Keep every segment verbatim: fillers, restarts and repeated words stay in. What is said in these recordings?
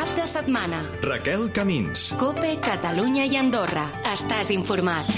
Cap de setmana. Raquel Camins. COPE, Catalunya i Andorra. Estàs informat.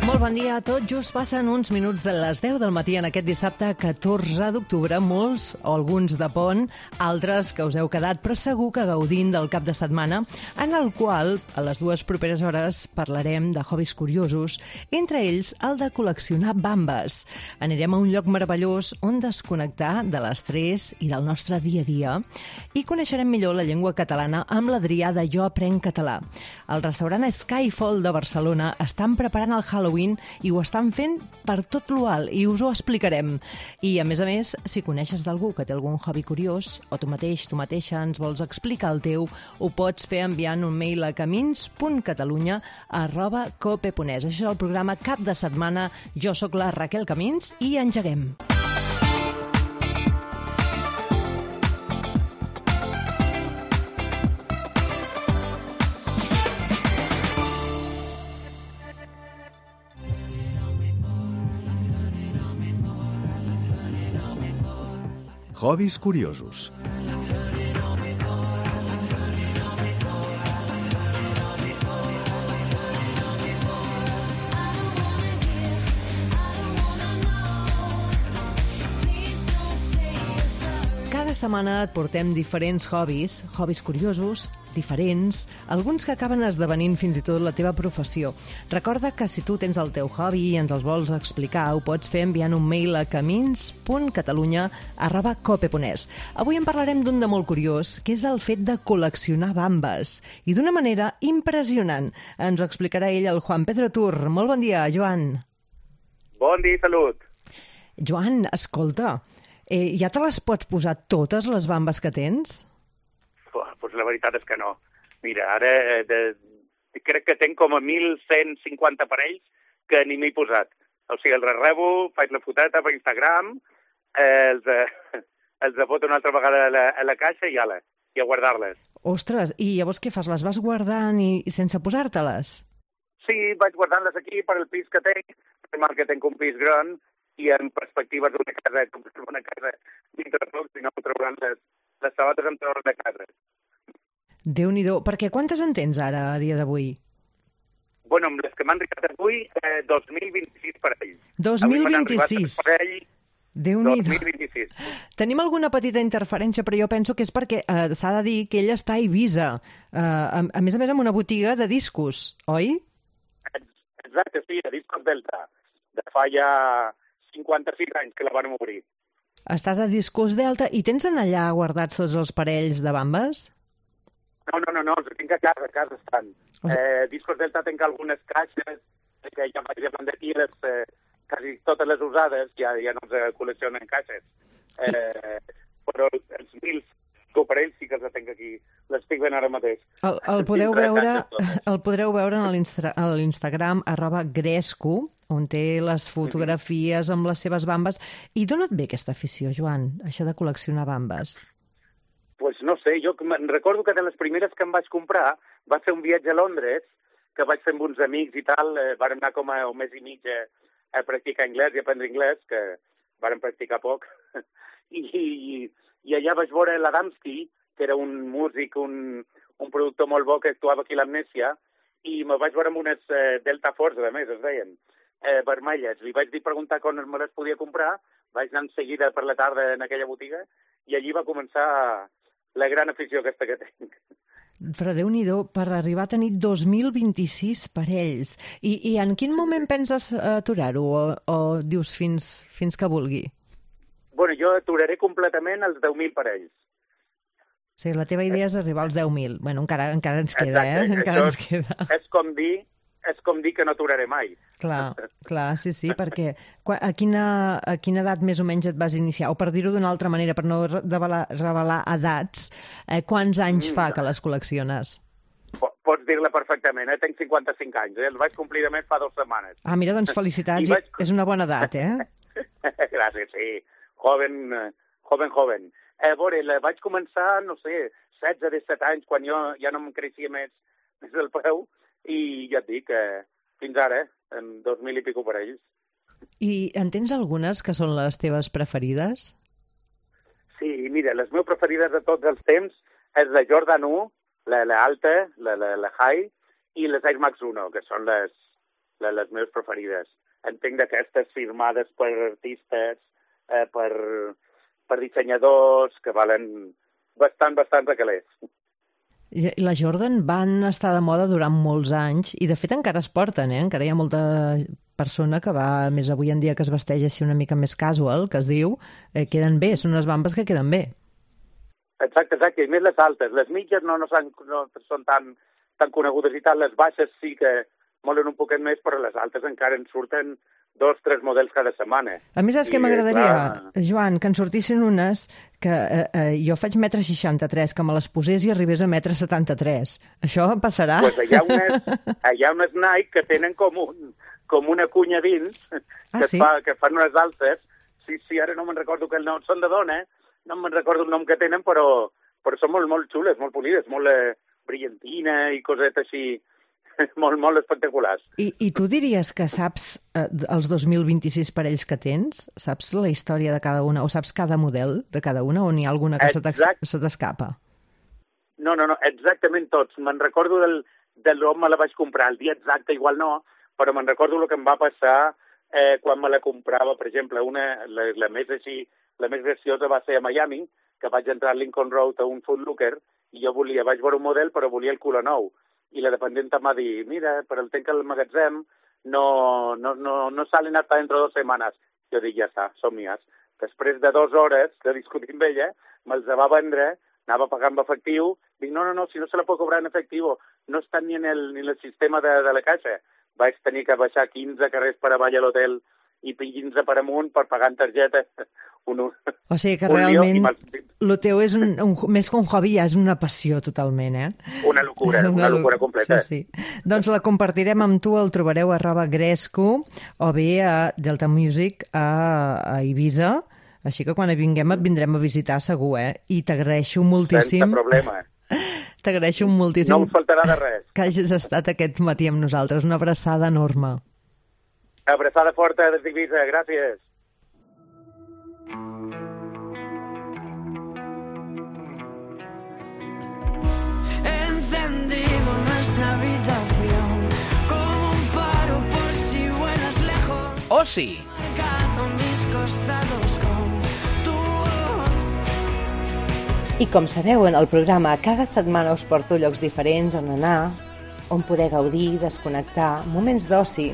Molt bon dia a tots. Just passen uns minuts de les deu del matí en aquest dissabte catorze d'octubre. Molts, o alguns de pont, altres que us heu quedat, però segur que gaudint del cap de setmana, en el qual, a les dues properes hores, parlarem de hobbies curiosos, entre ells el de col·leccionar bambes. Anirem a un lloc meravellós on desconnectar de l'estrès i del nostre dia a dia i coneixerem millor la llengua catalana amb l'Adrià de Jo Aprenc Català. El restaurant Skyfall de Barcelona estan preparant el Halloween i ho estan fent per tot lo alt i us ho explicarem. I, a més a més, si coneixes d'algú que té algun hobby curiós o tu mateix, tu mateixa ens vols explicar el teu, ho pots fer enviant un mail a camins punt catalunya arroba cope punt es. Això és el programa Cap de Setmana. Jo sóc la Raquel Camins i engeguem. Hobbies curiosos. Cada setmana et portem diferents hobbies, hobbies curiosos, diferents, alguns que acaben esdevenint fins i tot la teva professió. Recorda que si tu tens el teu hobby i ens els vols explicar, ho pots fer enviant un mail a camins punt catalunya arroba cope punt es. Avui en parlarem d'un de molt curiós, que és el fet de col·leccionar bambes. I d'una manera impressionant. Ens ho explicarà ell, el Juan Pedro Tur. Molt bon dia, Joan. Bon dia, salut. Joan, escolta, eh, ja te les pots posar totes les bambes que tens? Pues la veritat és que no. Mira, ara de, crec que tenc com a mil cent cinquanta parells que ni m'he posat. O sigui, els rebo, faig la foteta per Instagram, eh, els, eh, els foto una altra vegada a la, a la caixa i ala, i a guardar-les. Ostres, i llavors què fas? Les vas guardant i, i sense posar-te-les? Sí, vaig guardant-les aquí per el pis que tenc, que tenc un pis gran, i en perspectives d'una casa, com si una casa dintre de tot, si no trauran les, les sabates em trauran de casa. Déu-n'hi-do. Perquè quantes en tens ara, a dia d'avui? Bueno, amb les que m'han arribat avui, eh, dos mil vint-i-sis parells. dos mil vint-i-sis? Parell, Déu-n'hi-do. dos mil vint-i-sis. Tenim alguna petita interferència, però jo penso que és perquè eh, s'ha de dir que ell està a Eivissa, eh, a, a més a més amb una botiga de discos, oi? Exacte, sí, a Discos Delta. De fa ja cinquanta-sis anys que la van obrir. Estàs a Discos Delta i tens en allà guardats tots els parells de bambes? No, no, no, no, els tinc a casa, a casa estan. Eh, Discos Delta tinc algunes caixes, que ja vaig davant d'aquí, les, eh, quasi totes les usades, ja, ja no els col·leccionen caixes. Eh, però els mil coparells sí que els tinc aquí, les tinc ben ara mateix. El, el, podeu, veure, el podreu veure en l'Instagram arroba gresco, on té les fotografies amb les seves bambes. I d'on et ve aquesta afició, Joan, això de col·leccionar bambes? Pues no sé, jo recordo que de les primeres que em vaig comprar va ser un viatge a Londres, que vaig fer amb uns amics i tal, eh, vàrem anar com a un mes i mig a, a practicar anglès i aprendre anglès, que vàrem practicar poc, I, i, i allà vaig veure l'Adamski, que era un músic, un, un productor molt bo que actuava aquí a l'Amnèsia, i me vaig veure amb unes eh, Delta Force, a més, es deien, eh, vermelles. Li vaig dir preguntar quan me les podia comprar, vaig anar en seguida per la tarda en aquella botiga, i allí va començar la gran afició aquesta que tinc. Però Déu-n'hi-do, per arribar a tenir dos mil vint-i-sis parells. I, i en quin moment penses aturar-ho o, o dius fins, fins que vulgui? Bueno, jo aturaré completament els deu mil parells. O sigui, la teva idea és arribar als deu mil. Bueno, encara, encara ens queda, Exacte, eh? Encara això ens queda. És com dir és com dir que no aturaré mai. Clar, clar, sí, sí, perquè a quina, a quina edat més o menys et vas iniciar? O per dir-ho d'una altra manera, per no revelar, revelar edats, eh, quants anys fa que les col·lecciones? Pots dir-la perfectament, eh? Tenc cinquanta-cinc anys, eh? Els vaig complir de més fa dues setmanes. Ah, mira, doncs felicitats, vaig... és una bona edat, eh? Gràcies, sí. Joven, joven, joven. Eh, a veure, la vaig començar, no sé, setze, disset anys, quan jo ja no em creixia més, més el peu, i ja et dic, eh, fins ara, eh, en dos mil i pico parells. I en tens algunes que són les teves preferides? Sí, mira, les meves preferides de tots els temps és la Jordan u, la, la Alta, la, la, la High, i les Air Max uno, que són les, les, les meves preferides. Entenc d'aquestes firmades per artistes, eh, per, per dissenyadors, que valen bastant, bastant de calés. La Jordan van estar de moda durant molts anys i, de fet, encara es porten, eh? Encara hi ha molta persona que va, més avui en dia, que es vesteix així una mica més casual, que es diu, eh, queden bé, són unes bambes que queden bé. Exacte, exacte, i més les altes. Les mitges no, no, són, no són tan, tan conegudes i tal, les baixes sí que molen un poquet més, però les altes encara en surten dos, tres models cada setmana. A més, és que m'agradaria, Joan, que en sortissin unes que eh, eh, jo faig metre seixanta-tres, que me les posés i arribés a metre setanta-tres. Això em passarà? Doncs pues hi ha unes, hi ha unes Nike que tenen com, un, com una cunya dins, ah, que, sí? fa, que fan unes alces. Sí, sí, ara no me'n recordo que el nom, són de dona, no me'n recordo el nom que tenen, però, però són molt, molt xules, molt polides, molt eh, brillantina i cosetes així, molt, molt espectaculars. I, I tu diries que saps eh, els dos mil vint-i-sis parells que tens? Saps la història de cada una? O saps cada model de cada una? O n'hi ha alguna que Exact. se t'escapa? No, no, no, exactament tots. Me'n recordo del, de l'on me la vaig comprar. El dia exacte igual no, però me'n recordo el que em va passar eh, quan me la comprava. Per exemple, una, la, la més així, la més graciosa va ser a Miami, que vaig entrar a Lincoln Road a un Foot Locker i jo volia, vaig veure un model, però volia el color nou. I la dependenta em va dir, mira, per el temps que el magatzem no, no, no, no salen hasta dentro de dos setmanes. Jo dic, ja està, som mías. Després de dues hores de discutir amb ella, me'ls va vendre, anava pagant amb efectiu, dic, no, no, no, si no se la pot cobrar en efectiu, no està ni en el, ni en el sistema de, de la caixa. Vaig tenir que baixar quinze carrers per avall a l'hotel i quinze per amunt per pagar en targeta. Un, un, o sigui que realment el teu és un, un, més que un hobby, ja és una passió totalment, eh? Una locura, una, una locura completa. Sí, sí. Doncs la compartirem amb tu, el trobareu a arroba Gresco o bé a Delta Music a, a Eivissa, així que quan vinguem et vindrem a visitar segur, eh? I t'agraeixo moltíssim. Sense problema. T'agraeixo moltíssim. No us faltarà de res. Que hagis estat aquest matí amb nosaltres. Una abraçada enorme. Abraçada forta des d'Eivissa, gràcies. Encendido nuestra habitación como un faro por si vuelas lejos. ¡Oh, sí! Marcando mis costados con tu voz. I com sabeu, en el programa cada setmana us porto llocs diferents on anar, on poder gaudir, desconnectar, moments d'oci,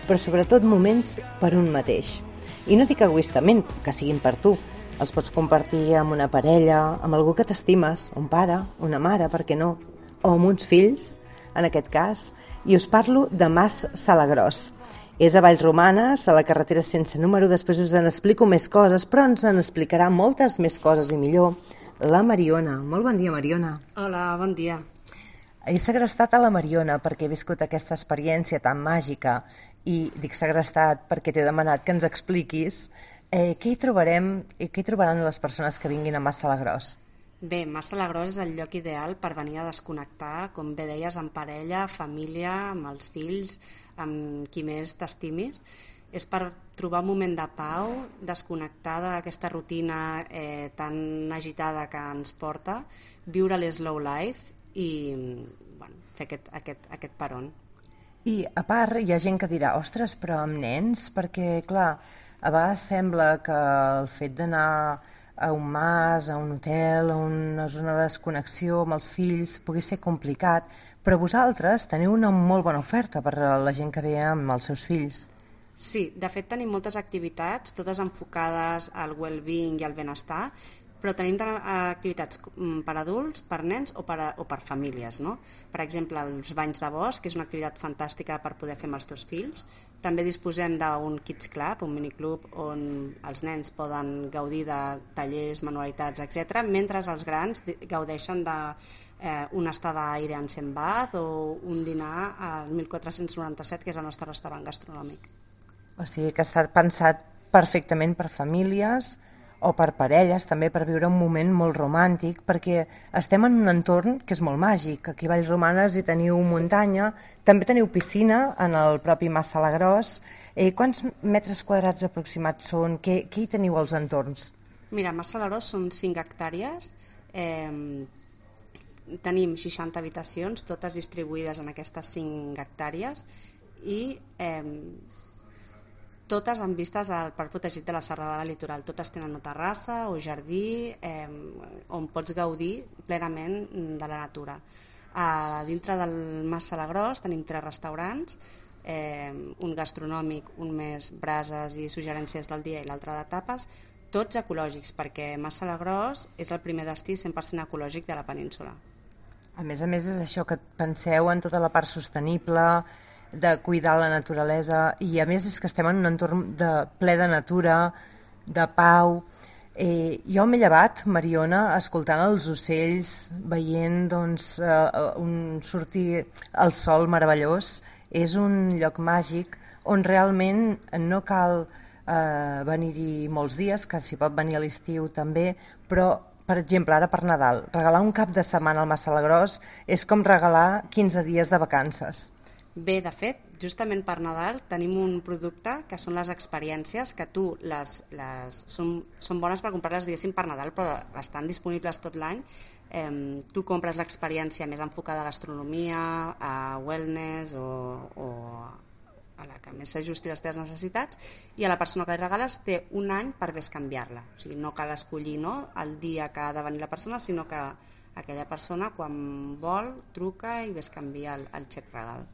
però sobretot moments per un mateix. I no dic egoistament, que siguin per tu. Els pots compartir amb una parella, amb algú que t'estimes, un pare, una mare, per què no? O amb uns fills, en aquest cas. I us parlo de Mas Salagrós. És a Vallromanes, a la carretera sense número. Després us en explico més coses, però ens en explicarà moltes més coses i millor la Mariona. Molt bon dia, Mariona. Hola, bon dia. He segrestat a la Mariona perquè he viscut aquesta experiència tan màgica i dic segrestat perquè t'he demanat que ens expliquis eh, què hi trobarem i què hi trobaran les persones que vinguin a Mas Salagrós. Bé, Mas Salagrós és el lloc ideal per venir a desconnectar, com bé deies, en parella, família, amb els fills, amb qui més t'estimis. És per trobar un moment de pau, desconnectar d'aquesta rutina eh, tan agitada que ens porta, viure l'slow life i bueno, fer aquest, aquest, aquest peron. I a part hi ha gent que dirà, ostres, però amb nens, perquè clar, a vegades sembla que el fet d'anar a un mas, a un hotel, a una zona de desconnexió amb els fills pugui ser complicat, però vosaltres teniu una molt bona oferta per a la gent que ve amb els seus fills. Sí, de fet tenim moltes activitats, totes enfocades al well-being i al benestar, però tenim activitats per adults, per nens o per, o per famílies, no? Per exemple, els banys de bosc, que és una activitat fantàstica per poder fer amb els teus fills. També disposem d'un Kids Club, un miniclub on els nens poden gaudir de tallers, manualitats, etcètera, mentre els grans gaudeixen d'una estada a Ire en Bath o un dinar al mil quatre-cents noranta-set, que és el nostre restaurant gastronòmic. O sigui que està pensat perfectament per famílies o per parelles, també per viure un moment molt romàntic, perquè estem en un entorn que és molt màgic. Aquí a Vallromanes hi teniu muntanya, també teniu piscina en el propi Mas Salagrós, Eh, quants metres quadrats aproximats són? Què, què hi teniu als entorns? Mira, a Mas Salagrós són cinc hectàrees, eh, tenim seixanta habitacions, totes distribuïdes en aquestes cinc hectàrees i eh, totes amb vistes al Parc Protegit de la Serralada Litoral. Totes tenen una terrassa o jardí eh, on pots gaudir plenament de la natura. A dintre del Mas Salagrós tenim tres restaurants, eh, un gastronòmic, un més brases i suggerències del dia i l'altre de tapes, tots ecològics, perquè Mas Salagrós és el primer destí cent per cent ecològic de la península. A més a més és això que penseu en tota la part sostenible, de cuidar la naturalesa, i a més és que estem en un entorn de, ple de natura, de pau. Eh, jo m'he llevat, Mariona, escoltant els ocells, veient doncs, eh, un sortir el sol meravellós. És un lloc màgic on realment no cal eh, venir-hi molts dies, que s'hi pot venir a l'estiu també, però per exemple, ara per Nadal, regalar un cap de setmana al Mas Salagrós és com regalar quinze dies de vacances. Bé, de fet, justament per Nadal tenim un producte que són les experiències, que tu les, les, són, són bones per comprar-les, diguéssim, per Nadal, però estan disponibles tot l'any. Eh, tu compres l'experiència més enfocada a gastronomia, a wellness o, o a la que més s'ajusti a les teves necessitats, i a la persona que li regales té un any per bescanviar-la. O sigui, no cal escollir, no?, el dia que ha de venir la persona, sinó que aquella persona, quan vol, truca i bescanvia el, el xec regal.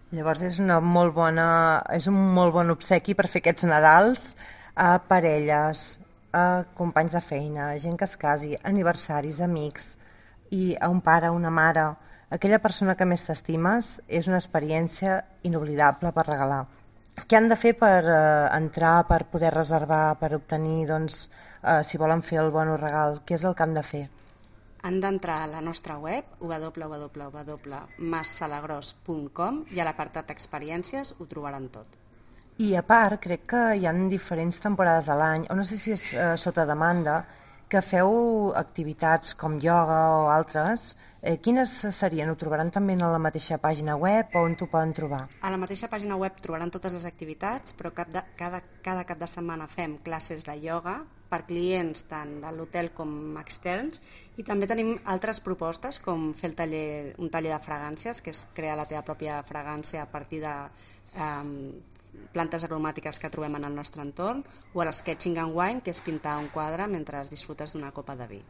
Llavors és, una molt bona, és un molt bon obsequi per fer aquests Nadals a parelles, a companys de feina, a gent que es casi, aniversaris, amics, i a un pare, una mare. Aquella persona que més t'estimes és una experiència inoblidable per regalar. Què han de fer per eh, entrar, per poder reservar, per obtenir, doncs, eh, si volen fer el bon regal? Què és el que han de fer? Han d'entrar a la nostra web, w w w punt mas salagrós punt com, i a l'apartat experiències ho trobaran tot. I a part, crec que hi ha diferents temporades de l'any, o no sé si és eh, sota demanda, que feu activitats com ioga o altres. Eh, quines serien? Ho trobaran també a la mateixa pàgina web o on t'ho poden trobar? A la mateixa pàgina web trobaran totes les activitats, però cap de, cada, cada cap de setmana fem classes de ioga per clients tant de l'hotel com externs, i també tenim altres propostes com fer el taller, un taller de fragàncies, que és crear la teva pròpia fragància a partir de eh, plantes aromàtiques que trobem en el nostre entorn, o el sketching and wine, que és pintar un quadre mentre disfrutes d'una copa de vi.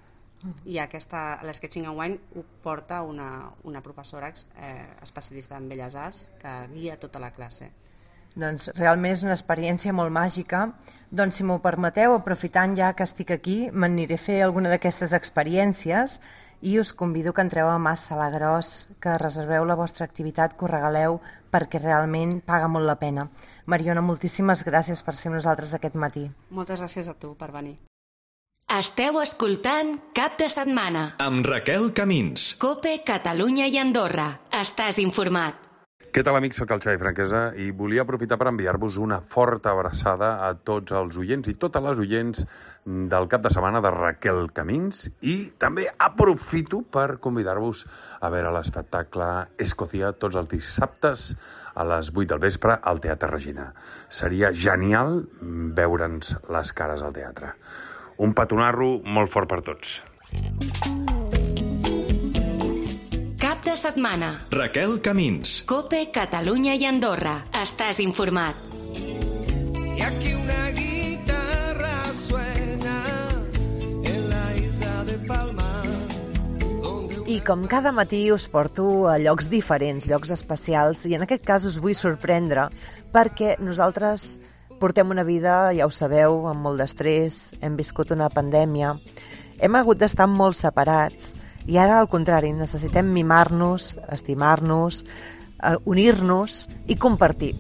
I aquesta, l'Sketching and Wine ho porta una, una professora eh, especialista en Belles Arts que guia tota la classe. Doncs realment és una experiència molt màgica. Doncs si m'ho permeteu, aprofitant ja que estic aquí, m'aniré a fer alguna d'aquestes experiències i us convido que entreu a Mas Salagrós, que reserveu la vostra activitat, que ho regaleu, perquè realment paga molt la pena. Mariona, moltíssimes gràcies per ser amb nosaltres aquest matí. Moltes gràcies a tu per venir. Esteu escoltant Cap de Setmana. Amb Raquel Camins. COPE, Catalunya i Andorra. Estàs informat. Què tal, amics? Soc el Xavi Franquesa i volia aprofitar per enviar-vos una forta abraçada a tots els oients i totes les oients del cap de setmana de Raquel Camins, i també aprofito per convidar-vos a veure l'espectacle Escòcia tots els dissabtes a les vuit del vespre al Teatre Regina. Seria genial veure'ns les cares al teatre. Un petonarro molt fort per tots. Cap de setmana. Raquel Camins. COPE, Catalunya i Andorra. Estàs informat. Y aquí una guitarra suena en la isla de Palma. I com cada matí us porto a llocs diferents, llocs especials, i en aquest cas us vull sorprendre perquè nosaltres portem una vida, ja ho sabeu, amb molt d'estrès, hem viscut una pandèmia, hem hagut d'estar molt separats, i ara al contrari, necessitem mimar-nos, estimar-nos, eh, unir-nos i compartir.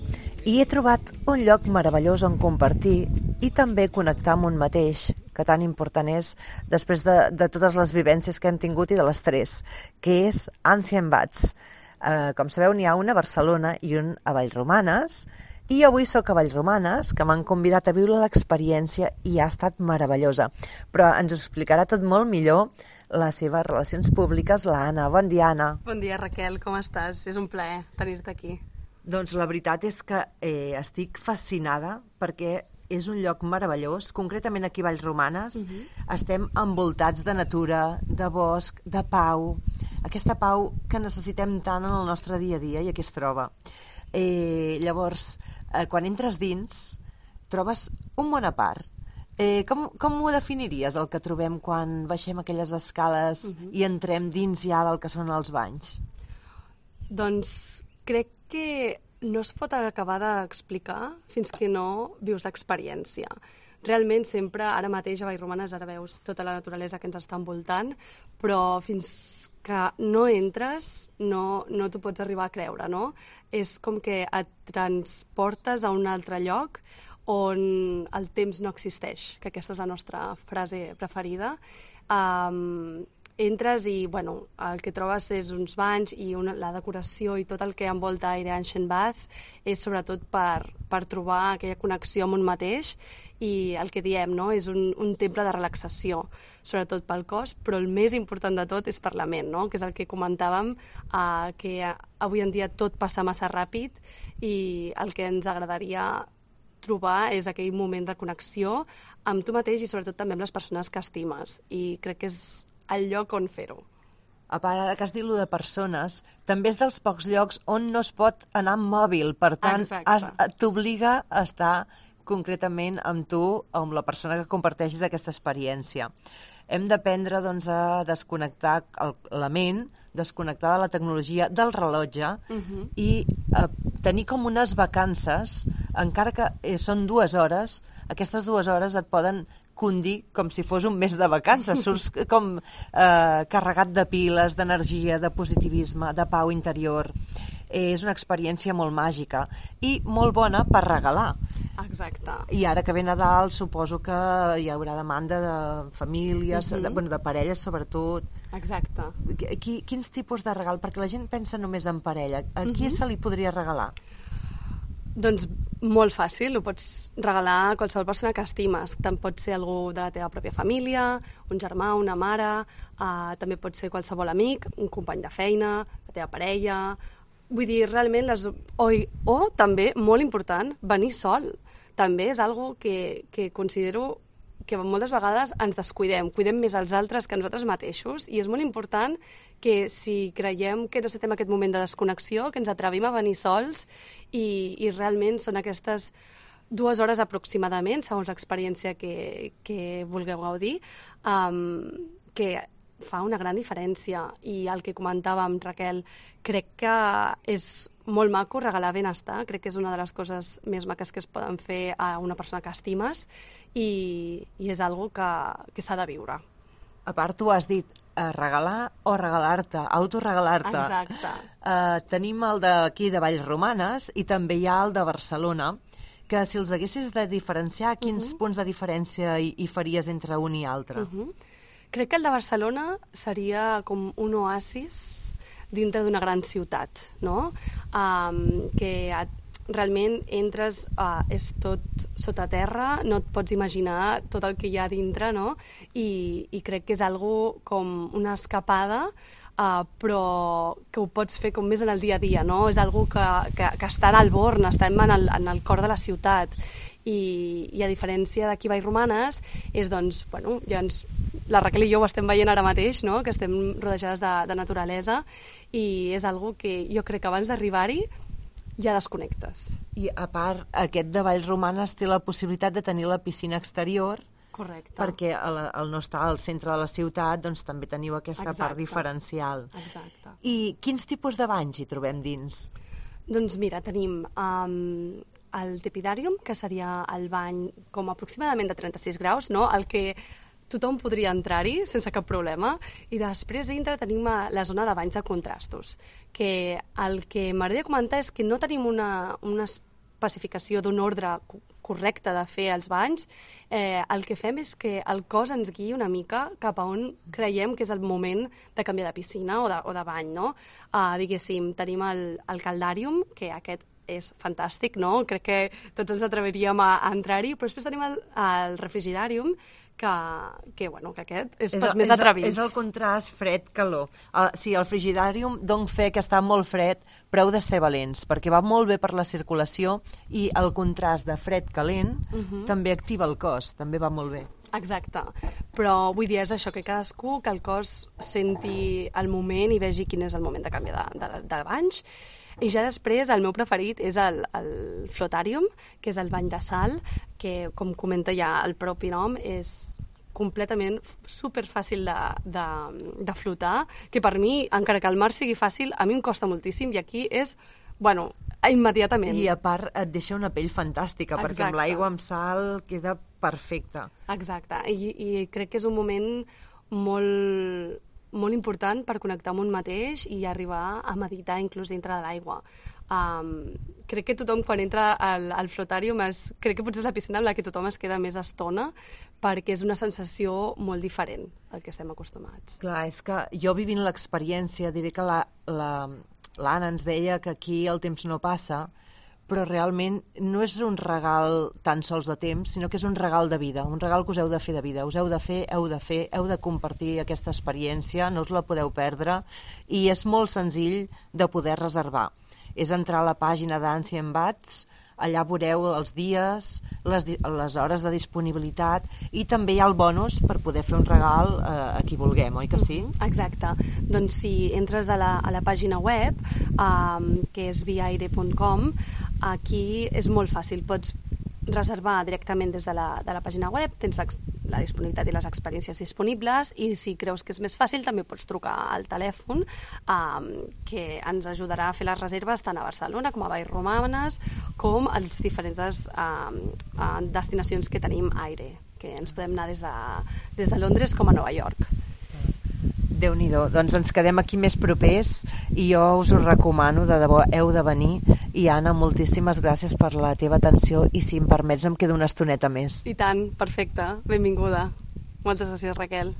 I he trobat un lloc meravellós on compartir i també connectar amb un mateix, que tan important és després de, de totes les vivències que hem tingut i de l'estrès, que és Ancient Bats. Eh, com sabeu, n'hi ha un a Barcelona i un a Vallromanes, i avui sóc a Vallromanes, que m'han convidat a viure l'experiència i ha estat meravellosa. Però ens ho explicarà tot molt millor les seves relacions públiques, la Anna. Bon dia, Anna. Bon dia, Raquel, com estàs? És un plaer tenir-te aquí. Doncs la veritat és que eh, estic fascinada perquè és un lloc meravellós, concretament aquí a Vallromanes. Uh-huh. Estem envoltats de natura, de bosc, de pau, aquesta pau que necessitem tant en el nostre dia a dia i aquí es troba. Eh, llavors, eh, quan entres dins, trobes un món a part. Eh, com, com ho definiries, el que trobem quan baixem aquelles escales uh-huh. i entrem dins ja del que són els banys? Doncs crec que no es pot acabar d'explicar fins que no vius l'experiència. Realment sempre, ara mateix a Vallromanes, ara veus tota la naturalesa que ens està envoltant, però fins que no entres no, no t'ho pots arribar a creure, no? És com que et transportes a un altre lloc on el temps no existeix, que aquesta és la nostra frase preferida. Um, entres i, bueno, el que trobes és uns banys i una, la decoració i tot el que envolta Aire Ancient Baths és sobretot per, per trobar aquella connexió amb un mateix i el que diem, no?, és un, un temple de relaxació, sobretot pel cos, però el més important de tot és per la ment, no?, que és el que comentàvem, eh, que avui en dia tot passa massa ràpid i el que ens agradaria trobar és aquell moment de connexió amb tu mateix i sobretot també amb les persones que estimes i crec que és el lloc on fer-ho. A part, ara que has dit lo de persones, també és dels pocs llocs on no es pot anar amb mòbil, per tant, has, t'obliga a estar concretament amb tu o amb la persona que comparteixis aquesta experiència. Hem d'aprendre doncs, a desconnectar el, la ment, desconnectar de la tecnologia, del rellotge uh-huh. i eh, tenir com unes vacances, encara que eh, són dues hores, aquestes dues hores et poden condir com si fos un mes de vacances, surts com eh, carregat de piles, d'energia, de positivisme, de pau interior. Eh, és una experiència molt màgica i molt bona per regalar. Exacte. I ara que ve Nadal suposo que hi haurà demanda de famílies, uh-huh. de, bueno, de parelles sobretot. Exacte. Qui, quins tipus de regal? Perquè la gent pensa només en parella. A qui uh-huh. se li podria regalar? Doncs molt fàcil, ho pots regalar a qualsevol persona que estimes. Tant pot ser algú de la teva pròpia família, un germà, una mare, uh, també pot ser qualsevol amic, un company de feina, la teva parella. Vull dir, realment, les... o, o també, molt important, venir sol. També és algo que, que considero que moltes vegades ens descuidem, cuidem més els altres que nosaltres mateixos i és molt important que si creiem que necessitem aquest moment de desconnexió, que ens atrevim a venir sols i, i realment són aquestes dues hores aproximadament, segons l'experiència que, que vulgueu gaudir, um, que fa una gran diferència i el que comentàvem, Raquel, crec que és molt maco regalar benestar, crec que és una de les coses més maques que es poden fer a una persona que estimes i, i és algo que, que s'ha de viure. A part, tu has dit eh, regalar o regalar-te, autoregalar-te. Exacte. Eh, tenim el d'aquí de Vallromanes i també hi ha el de Barcelona, que si els haguessis de diferenciar, quins uh-huh. punts de diferència hi, hi faries entre un i altre? Uh-huh. Crec que el de Barcelona seria com un oasis dintre d'una gran ciutat, no? Um, que et, realment entres, uh, és tot sota terra, no et pots imaginar tot el que hi ha dintre, no? I, i crec que és algo com una escapada, uh, però que ho pots fer com més en el dia a dia, no? És algo que, que, que està al Born, estem en el, en el cor de la ciutat. I, i a diferència d'aquí Vallromanes és doncs, bueno, ja ens, la Raquel i jo ho estem veient ara mateix, no? Que estem rodejades de, de naturalesa i és algo que jo crec que abans d'arribar-hi ja desconnectes. I a part, aquest de Vallromanes té la possibilitat de tenir la piscina exterior. Correcte. Perquè al, al no estar al centre de la ciutat doncs també teniu aquesta Exacte. Part diferencial. Exacte. I quins tipus de banys hi trobem dins? Doncs mira, tenim um, el Tepidarium, que seria el bany com aproximadament de trenta-sis graus, no? El que tothom podria entrar-hi sense cap problema, i després dintre tenim la zona de banys de contrastos, que el que m'agradaria comentar és que no tenim una, una especificació d'un ordre correcte de fer els banys, eh, el que fem és que el cos ens guiï una mica cap a on creiem que és el moment de canviar de piscina o de, o de bany, no? Uh, diguéssim, tenim el, el Caldarium, que aquest és fantàstic, no? Crec que tots ens atreviríem a, a entrar-hi, però després tenim el, el refrigidàrium, que, que, bueno, que aquest és, és pels més atrevits. És el contrast fred-calor. El, sí, el frigidàrium donc fe que està molt fred, però heu de ser valents, perquè va molt bé per la circulació i el contrast de fred-calent uh-huh. també activa el cos, també va molt bé. Exacte, però vull dir, és això, que cadascú, que el cos senti el moment i vegi quin és el moment de canviar de, de, de banys. I ja després, el meu preferit és el, el flotàrium, que és el bany de sal, que, com comenta ja el propi nom, és completament superfàcil de, de, de flotar, que per mi, encara que el mar sigui fàcil, a mi em costa moltíssim, i aquí és, bueno, immediatament. I a part et deixa una pell fantàstica, Exacte. Perquè amb l'aigua amb sal queda perfecta. Exacte, I, i crec que és un moment molt, molt important per connectar amb un mateix i arribar a meditar inclús dintre de l'aigua. Um, crec que tothom quan entra al, al flotàrium es, crec que potser és la piscina amb la que tothom es queda més estona, perquè és una sensació molt diferent al que estem acostumats. Clar, és que jo vivint l'experiència diré que la, la, l'Anna ens deia que aquí el temps no passa, però realment no és un regal tan sols de temps, sinó que és un regal de vida, un regal que us heu de fer de vida. Us heu de fer, heu de fer, heu de compartir aquesta experiència, no us la podeu perdre, i és molt senzill de poder reservar. És entrar a la pàgina d'Ancient Baths, allà veureu els dies, les, les hores de disponibilitat, i també hi ha el bonus per poder fer un regal eh, a qui vulguem, oi que sí? Exacte. Doncs si entres a la, a la pàgina web, um, que és viaire punt com, aquí és molt fàcil. Pots reservar directament des de la, de la pàgina web, tens la disponibilitat i les experiències disponibles, i si creus que és més fàcil també pots trucar al telèfon um, que ens ajudarà a fer les reserves tant a Barcelona com a Vallromanes com a les diferents um, uh, destinacions que tenim aire, que ens podem anar des de, des de Londres com a Nova York. Déu-n'hi-do, doncs ens quedem aquí més propers i jo us ho recomano, de debò, heu de venir. I Anna, moltíssimes gràcies per la teva atenció i si em permets em quedo una estoneta més. I tant, perfecte, benvinguda. Moltes gràcies, Raquel.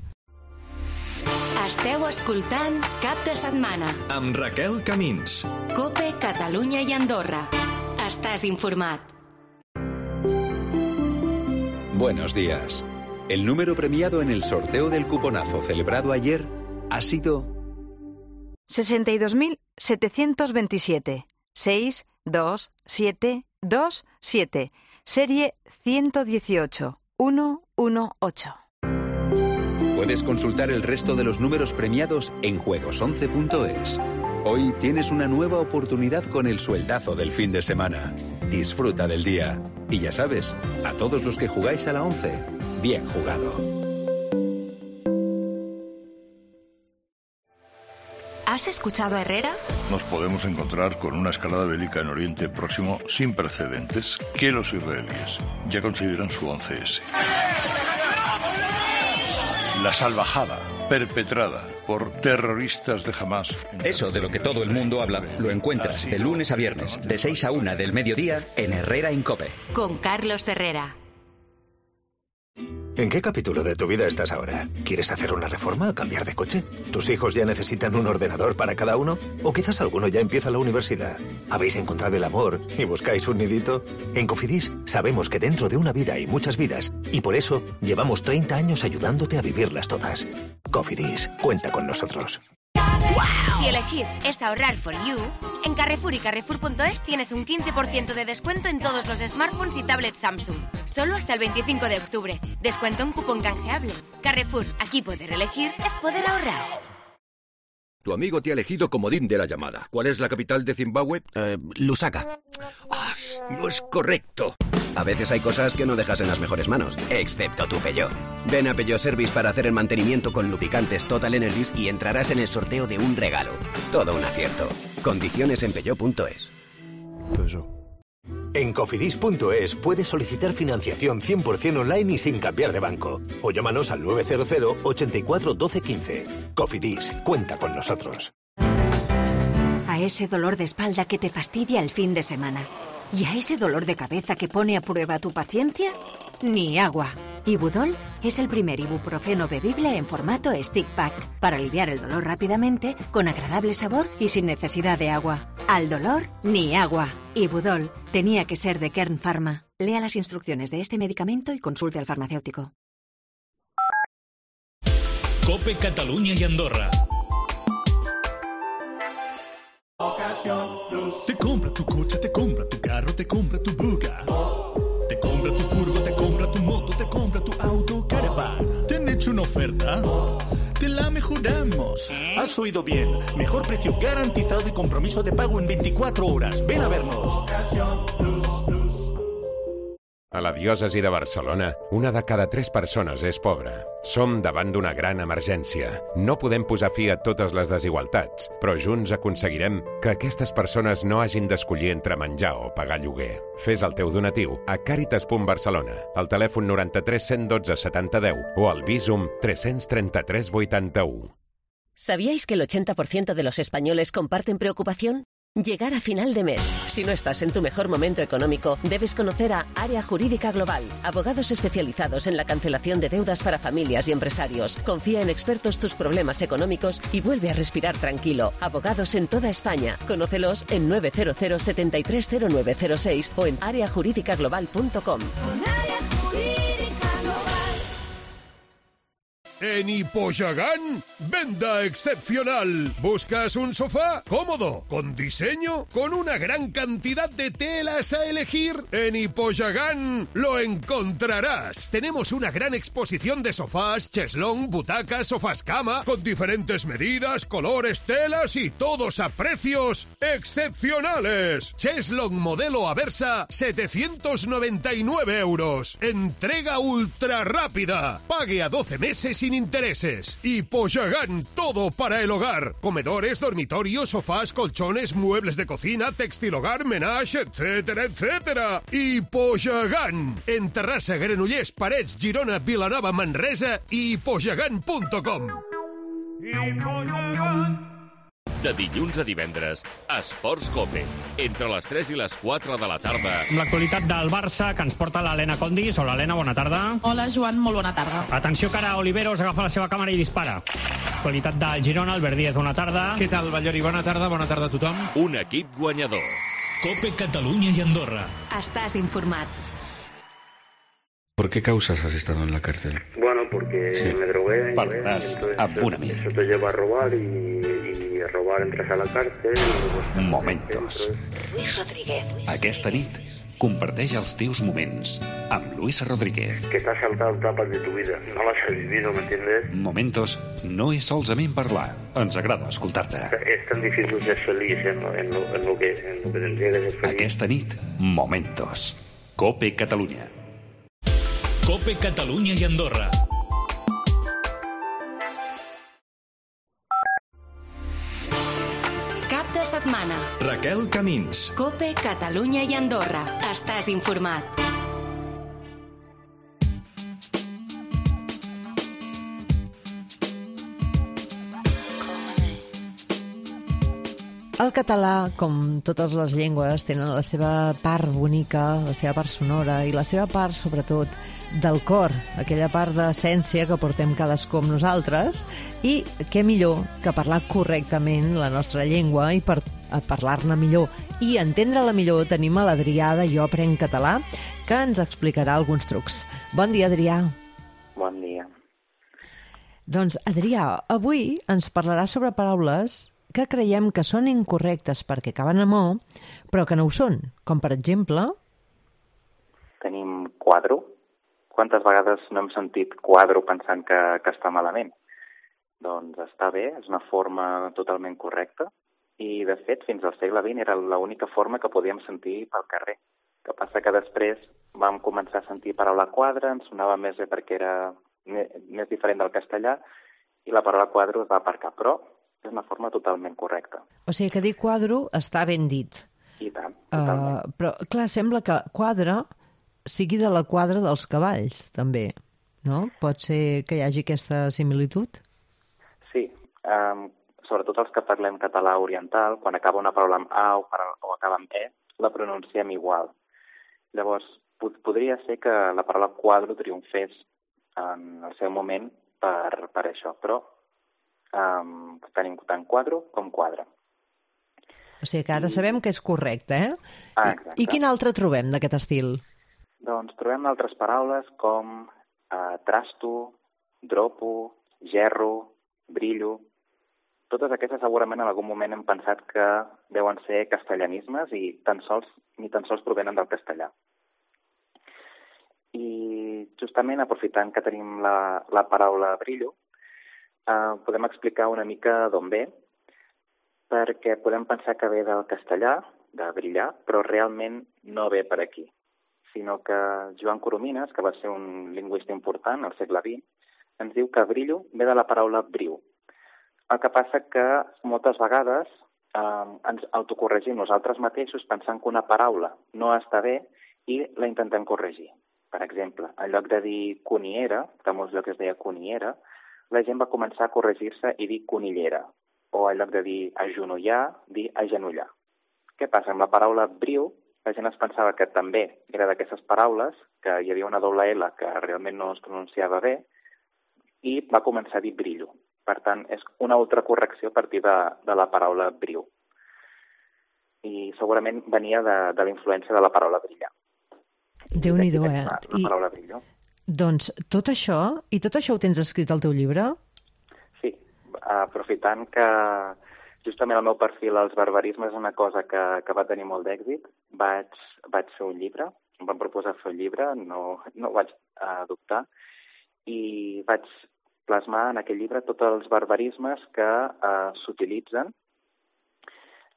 Esteu escoltant Cap de Setmana amb Raquel Camins. COPE, Catalunya i Andorra. Estàs informat. Buenos días. El número premiado en el sorteo del cuponazo celebrado ayer ha sido sesenta y dos mil setecientos veintisiete, seis dos siete dos siete, serie ciento dieciocho mil dieciocho. Puedes consultar el resto de los números premiados en juegos once punto es. Hoy tienes una nueva oportunidad con el sueldazo del fin de semana. Disfruta del día. Y ya sabes, a todos los que jugáis a la once, bien jugado. ¿Has escuchado a Herrera? Nos podemos encontrar con una escalada bélica en Oriente Próximo sin precedentes que los israelíes ya consideran su once ese. La salvajada perpetrada por terroristas de Hamás. Eso de lo que todo el mundo habla lo encuentras de lunes a viernes, de seis a una del mediodía en Herrera en COPE. Con Carlos Herrera. ¿En qué capítulo de tu vida estás ahora? ¿Quieres hacer una reforma o cambiar de coche? ¿Tus hijos ya necesitan un ordenador para cada uno? ¿O quizás alguno ya empieza la universidad? ¿Habéis encontrado el amor y buscáis un nidito? En Cofidis sabemos que dentro de una vida hay muchas vidas y por eso llevamos treinta años ayudándote a vivirlas todas. Cofidis, cuenta con nosotros. Si elegir es ahorrar for you, en Carrefour y Carrefour punto es tienes un quince por ciento de descuento en todos los smartphones y tablets Samsung. Solo hasta el veinticinco de octubre. Descuento en cupón canjeable. Carrefour, aquí poder elegir es poder ahorrar. Tu amigo te ha elegido comodín de la llamada. ¿Cuál es la capital de Zimbabue? Eh, Lusaka. Ah, no es correcto. A veces hay cosas que no dejas en las mejores manos, excepto tu Peugeot. Ven a Peugeot Service para hacer el mantenimiento con lubricantes Total Energies y entrarás en el sorteo de un regalo. Todo un acierto. Condiciones en Peugeot punto es. En Cofidis punto es puedes solicitar financiación cien por ciento online y sin cambiar de banco. O llámanos al nueve cero cero, ochenta y cuatro, doce, quince. Cofidis, cuenta con nosotros. A ese dolor de espalda que te fastidia el fin de semana. ¿Y a ese dolor de cabeza que pone a prueba tu paciencia? Ni agua. Ibudol es el primer ibuprofeno bebible en formato stick pack para aliviar el dolor rápidamente, con agradable sabor y sin necesidad de agua. Al dolor, ni agua. Ibudol tenía que ser de Kern Pharma. Lea las instrucciones de este medicamento y consulte al farmacéutico. COPE Catalunya i Andorra. Te compra tu coche, te compra tu carro, te compra tu buga. Te compra tu furgo, te compra tu moto, te compra tu auto, caravana. ¿Te han hecho una oferta? Te la mejoramos. Has oído bien. Mejor precio garantizado y compromiso de pago en veinticuatro horas. Ven a vernos. A la diòcesi de Barcelona, una de cada tres persones és pobra. Som davant d'una gran emergència. No podem posar fi a totes les desigualtats, però junts aconseguirem que aquestes persones no hagin d'escollir entre menjar o pagar lloguer. Fes el teu donatiu a Càritas punt Barcelona, al telèfon noranta-tres cent dotze setanta deu o al Bizum tres trenta-tres vuitanta-u. ¿Sabíais que el ochenta por ciento de los españoles comparten preocupación? Llegar a final de mes. Si no estás en tu mejor momento económico, debes conocer a Área Jurídica Global, abogados especializados en la cancelación de deudas para familias y empresarios. Confía en expertos tus problemas económicos y vuelve a respirar tranquilo. Abogados en toda España. Conócelos en nueve cero cero, setenta y tres cero nueve cero seis o en área jurídica global punto com. En Hippoyagán, venta excepcional. ¿Buscas un sofá cómodo, con diseño, con una gran cantidad de telas a elegir? En Hippoyagán lo encontrarás. Tenemos una gran exposición de sofás, cheslón, butacas, sofás cama, con diferentes medidas, colores, telas y todos a precios excepcionales. Cheslón modelo Aversa, setecientos noventa y nueve euros. Entrega ultra rápida. Pague a doce meses sin intereses. Hippoyagán, todo para el hogar. Comedores, dormitorios, sofás, colchones, muebles de cocina, textil hogar, menage, etcétera, etcétera. Hippoyagán. En Terrassa, Granollers, Parets, Girona, Vilanova, Manresa i hippoyagán punt com. Hippoyagán. De dilluns a divendres, Esports COPE, entre les tres i les quatre de la tarda. Amb l'actualitat del Barça, que ens porta l'Helena Condis. Hola, Helena, bona tarda. Hola, Joan, molt bona tarda. Atenció que ara Oliveros agafa la seva càmera i dispara. Actualitat del Girona, Albert Díaz, bona tarda. Què tal, Ballori? Bona tarda, bona tarda a tothom. Un equip guanyador. COPE Catalunya i Andorra. Estás informat. ¿Por qué causas has estado en la cárcel? Bueno, porque sí. me drogué. Parlarás amb un amic. Eso te lleva a robar y, y a robar entras a la cárcel. Y Momentos. Luis Rodríguez. Aquesta nit, comparteix els teus moments amb Luis Rodríguez. Que t'has saltado etapas de tu vida. No las has vivido, ¿me entiendes? Momentos no és solament parlar. Ens agrada escoltar-te. Es tan difícil ser feliz en lo, en lo, en lo que, en lo que tendría que ser feliz. Aquesta nit, Momentos. COPE Catalunya. COPE Catalunya i Andorra. Cap de setmana. Raquel Camins. COPE Catalunya i Andorra. Estàs informat. El català, com totes les llengües, tenen la seva part bonica, la seva part sonora i la seva part, sobretot, del cor, aquella part d'essència que portem cadascú amb nosaltres, i què millor que parlar correctament la nostra llengua i per parlar-ne millor i entendre-la millor tenim a l'Adrià de Jo Aprenc Català, que ens explicarà alguns trucs. Bon dia, Adrià. Bon dia. Doncs, Adrià, avui ens parlarà sobre paraules que creiem que són incorrectes perquè acaben amb o, però que no ho són. Com, per exemple... Tenim quadro. Quantes vegades no hem sentit quadro pensant que, que està malament? Doncs està bé, és una forma totalment correcta i, de fet, fins al segle vint era l'única forma que podíem sentir pel carrer. El que passa que després vam començar a sentir paraula quadre, ens sonava més bé perquè era més diferent del castellà i la paraula quadro es va aparcar, però és una forma totalment correcta. O sigui que dir quadro està ben dit. I tant, totalment. Uh, però, clar, sembla que quadre sigui de la quadra dels cavalls, també, no? Pot ser que hi hagi aquesta similitud? Sí, um, sobretot els que parlem català oriental, quan acaba una paraula amb a o, o acaba amb e, la pronunciem igual. Llavors, pod podria ser que la paraula quadro triomfés en el seu moment per, per això, però Um, tenim tant quadro com quadre. O sigui que ara sabem que és correcte, eh? Ah, exacte. I quin altre trobem d'aquest estil? Doncs trobem altres paraules com eh, trasto, dropo, gerro, brillo. Totes aquestes segurament en algun moment hem pensat que deuen ser castellanismes i tan sols, ni tan sols provenen del castellà. I justament aprofitant que tenim la, la paraula brillo, eh, podem explicar una mica d'on ve, perquè podem pensar que ve del castellà, de brillar, però realment no ve per aquí, sinó que Joan Coromines, que va ser un lingüista important al segle vint, ens diu que brillo ve de la paraula briu. El que passa que moltes vegades eh, ens autocorregim nosaltres mateixos pensant que una paraula no està bé i la intentem corregir. Per exemple, en lloc de dir coniera, que a molts llocs es deia coniera, la gent va començar a corregir-se i dir conillera, o en lloc de dir agenollar, dir agenollar. Què passa? Amb la paraula briu, la gent es pensava que també era d'aquestes paraules, que hi havia una doble L que realment no es pronunciava bé, i va començar a dir brillo. Per tant, és una altra correcció a partir de, de la paraula briu. I segurament venia de, de la influència de la paraula brillar. Déu-n'hi-do, eh? La, la paraula brillo. Doncs tot això, i tot això ho tens escrit al teu llibre? Sí, aprofitant que justament el meu perfil als barbarismes és una cosa que, que va tenir molt d'èxit, vaig, vaig fer un llibre, em van proposar fer un llibre, no, no ho vaig adoptar, i vaig plasmar en aquell llibre tots els barbarismes que eh, s'utilitzen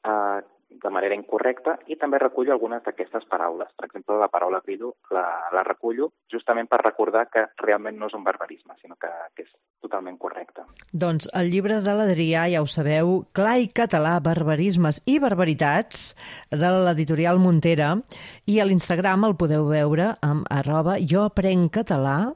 eh, de manera incorrecta i també recullo algunes d'aquestes paraules. Per exemple, la paraula brillo la, la recullo justament per recordar que realment no és un barbarisme, sinó que, que és totalment correcte. Doncs el llibre de l'Adrià, ja ho sabeu, Clar i català, barbarismes i barbaritats, de l'editorial Montera, i a l'Instagram el podeu veure amb arroba jo aprenc català,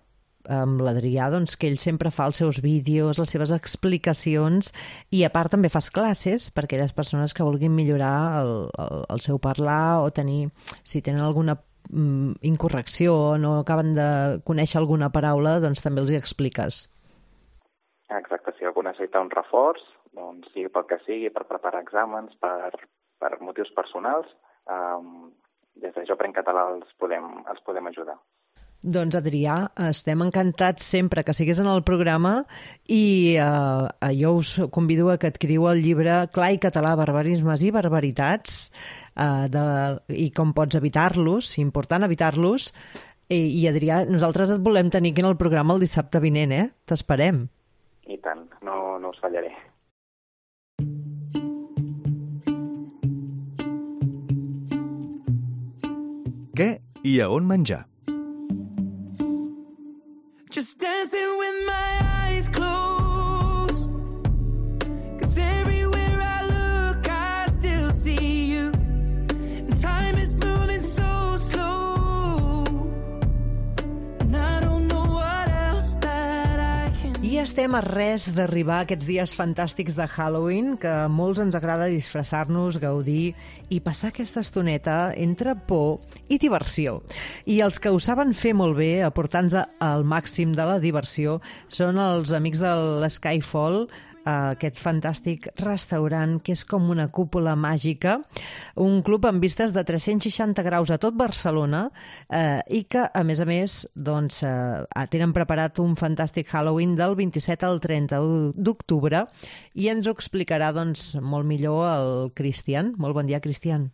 amb l'Adrià, doncs, que ell sempre fa els seus vídeos, les seves explicacions, i a part també fas classes per a aquelles persones que vulguin millorar el, el, el seu parlar o tenir, si tenen alguna mm, incorrecció o no acaben de conèixer alguna paraula, doncs també els hi expliques. Exacte, si algú necessita un reforç, doncs sigui pel que sigui, per preparar exàmens, per, per motius personals, um, des de Jo Aprenc Català els podem, els podem ajudar. Doncs, Adrià, estem encantats sempre que siguis en el programa i eh, jo us convido a que adquiriu el llibre Clar i català, barbarismes i barbaritats eh, de, i com pots evitar-los, important evitar-los. I, I, Adrià, nosaltres et volem tenir aquí en el programa el dissabte vinent, eh? T'esperem. I tant, no, no us fallaré. Què i a on menjar? Just dancing with my eyes closed, 'cause everywhere I look I still see you, and time is moving so slow, and I don't know what else that I can do. I estem a res d'arribar a aquests dies fantàstics de Halloween, que a molts ens agrada disfressar-nos, gaudir i passar aquesta estoneta entre por i diversió. I els que ho saben fer molt bé, aportant-nos al màxim de la diversió, són els amics de l'Skyfall, aquest fantàstic restaurant que és com una cúpula màgica, un club amb vistes de tres-cents seixanta graus a tot Barcelona eh, i que, a més a més, doncs, eh, tenen preparat un fantàstic Halloween del vint-i-set al trenta d'octubre i ens ho explicarà doncs, molt millor el Cristian. Molt bon dia, Cristian.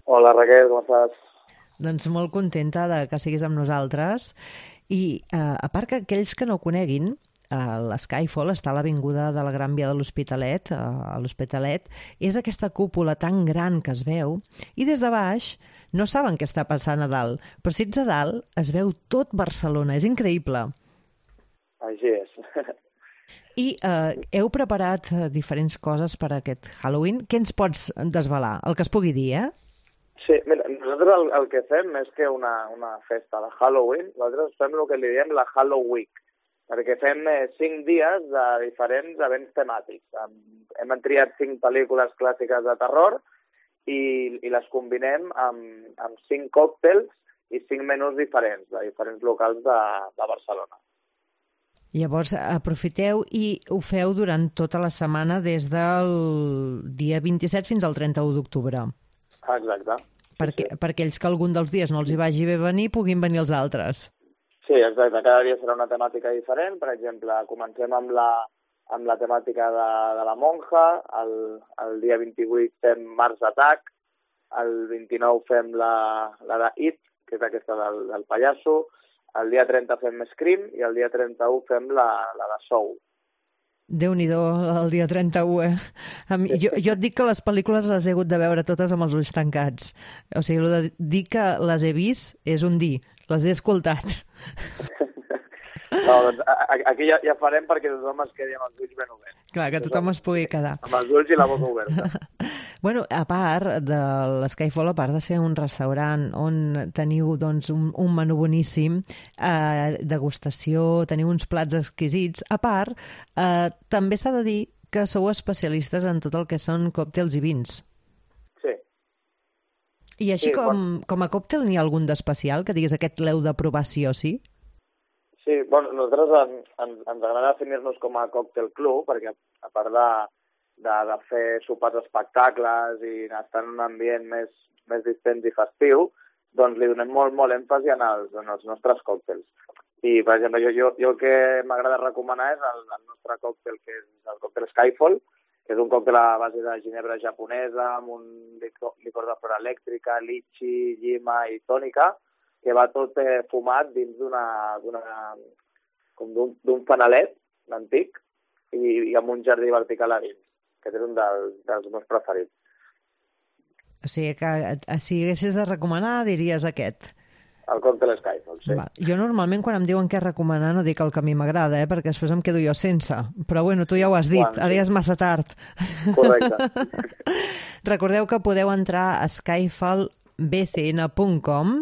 Hola, Raquel, com estàs? Doncs molt contenta de que siguis amb nosaltres i, eh, a part que aquells que no coneguin, l'Skyfall està a l'avinguda de la Gran Via de l'Hospitalet, a l'Hospitalet, és aquesta cúpula tan gran que es veu, i des de baix no saben què està passant a dalt, però si ets a dalt es veu tot Barcelona, és increïble. Així és. I eh, heu preparat diferents coses per a aquest Halloween. Què ens pots desvelar? El que es pugui dir, eh? Sí, mira, nosaltres el, el que fem és que una, una festa de Halloween, nosaltres fem el que li diem la Halloween, perquè fem eh, cinc dies de diferents events temàtics. Hem, hem triat cinc pel·lícules clàssiques de terror i, i les combinem amb, amb cinc còctels i cinc menús diferents, de diferents locals de, de Barcelona. Llavors, aprofiteu i ho feu durant tota la setmana des del dia vint-i-set fins al trenta-u d'octubre. Exacte. Perquè, sí. perquè ells que algun dels dies no els hi vagi bé venir, puguin venir els altres. Sí, exacte. Cada dia serà una temàtica diferent. Per exemple, comencem amb la, amb la temàtica de, de la monja, el, el dia vint-i-vuit fem Mars Attack, el vint-i-nou fem la, la de It, que és aquesta del, del pallasso, el dia trenta fem Scream i el dia trenta-u fem la, la de Soul. Déu-n'hi-do el dia trenta-u, eh? A mi, jo, jo et dic que les pel·lícules les he hagut de veure totes amb els ulls tancats. O sigui, el de dir que les he vist és un dir, les he escoltat. No, doncs aquí ja, ja farem perquè tothom es quedi amb els ulls ben oberts. Clar, que tothom es pugui quedar. Amb els ulls i la boca oberta. Bueno, a part de l'Skyfall, a part de ser un restaurant on teniu doncs, un, un menú boníssim, eh, degustació, teniu uns plats exquisits, a part, eh, també s'ha de dir que sou especialistes en tot el que són còctels i vins. Sí. I així sí, com, bueno. com a còctel n'hi ha algun d'especial que diguis aquest l'heu de provar sí o sí? Sí, bueno, nosaltres en, en, ens agrada definir-nos com a còctel club, perquè a part de, de, de fer sopars espectacles i estar en un ambient més, més distens i festiu, doncs li donem molt, molt èmfasi en els, en els nostres còctels. I, per exemple, jo, jo, jo el que m'agrada recomanar és el, el nostre còctel, que és el còctel Skyfall, que és un còctel a base de ginebra japonesa, amb un licor, licor de flora elèctrica, litxi, llima i tònica, que va tot eh, fumat dins d'una com d'un fanalet antic i, i amb un jardí vertical a dins, que és un dels, dels meus preferits. O sigui que si haguessis de recomanar, diries aquest. El còctel Skyfall, sí. Va. Jo normalment quan em diuen què recomanar no dic el que a mi m'agrada, eh, perquè després em quedo jo sense. Però bueno, tu ja ho has dit, quan, ara ja és massa tard. Correcte. Recordeu que podeu entrar a skyfall b c n punt com.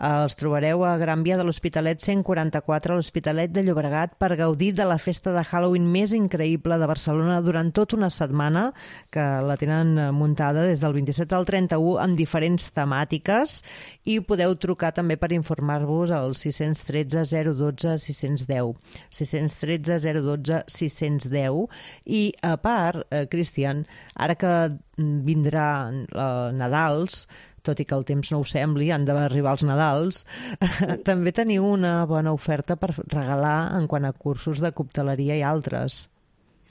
Els trobareu a Gran Via de l'Hospitalet cent quaranta-quatre a l'Hospitalet de Llobregat per gaudir de la festa de Halloween més increïble de Barcelona durant tota una setmana, que la tenen muntada des del vint-i-set al trenta-u amb diferents temàtiques, i podeu trucar també per informar-vos al sis un tres zero un dos sis un zero sis un tres zero un dos sis un zero. I a part, eh, Cristian, ara que vindrà eh, Nadals, tot i que el temps no ho sembli, han d'arribar els Nadals, també teniu una bona oferta per regalar en quant a cursos de cocteleria i altres.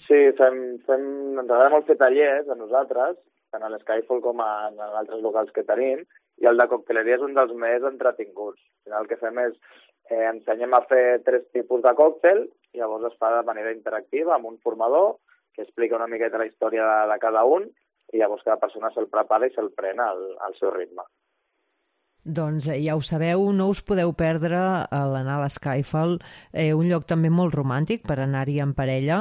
Sí, fem, fem, ens agrada molt fer tallers a nosaltres, tant a l'Skyfall com a, en altres locals que tenim, i el de cocteleria és un dels més entretinguts. Al final el que fem és eh, ensenyem a fer tres tipus de còctel, i llavors es fa de manera interactiva amb un formador que explica una miqueta la història de, de cada un, i llavors cada persona se'l prepara i se'l pren al, al seu ritme. Doncs eh, ja ho sabeu, no us podeu perdre a l'anar a l'Skyfall, eh, un lloc també molt romàntic per anar-hi en parella,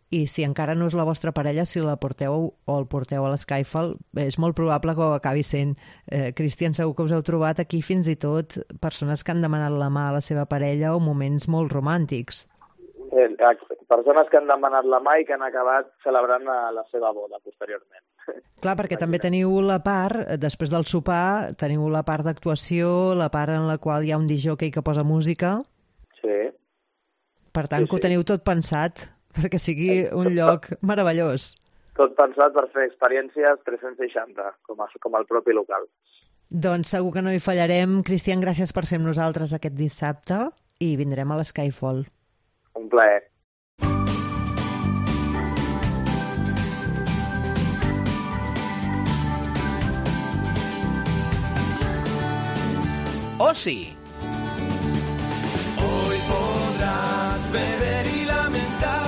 i si encara no és la vostra parella, si la porteu o el porteu a l'Skyfall, és molt probable que ho acabi sent. Eh, Cristian, segur que us heu trobat aquí fins i tot persones que han demanat la mà a la seva parella o moments molt romàntics. Eh, persones que han demanat la mà i que han acabat celebrant la seva boda posteriorment. Clar, perquè també teniu la part, després del sopar, teniu la part d'actuació, la part en la qual hi ha un discjòquei que posa música. Sí. Per tant, sí, que ho teniu tot pensat, perquè sigui un lloc meravellós. Tot pensat per fer experiències tres-cents seixanta, com, a, com el propi local. Doncs segur que no hi fallarem. Cristian, gràcies per ser amb nosaltres aquest dissabte i vindrem a l'Skyfall. Un plaer. Osi. Hoy podrás beber y lamentar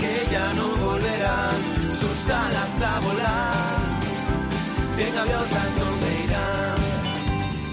que ya no volverán sus alas a volar. Bien gaviosas donde irán.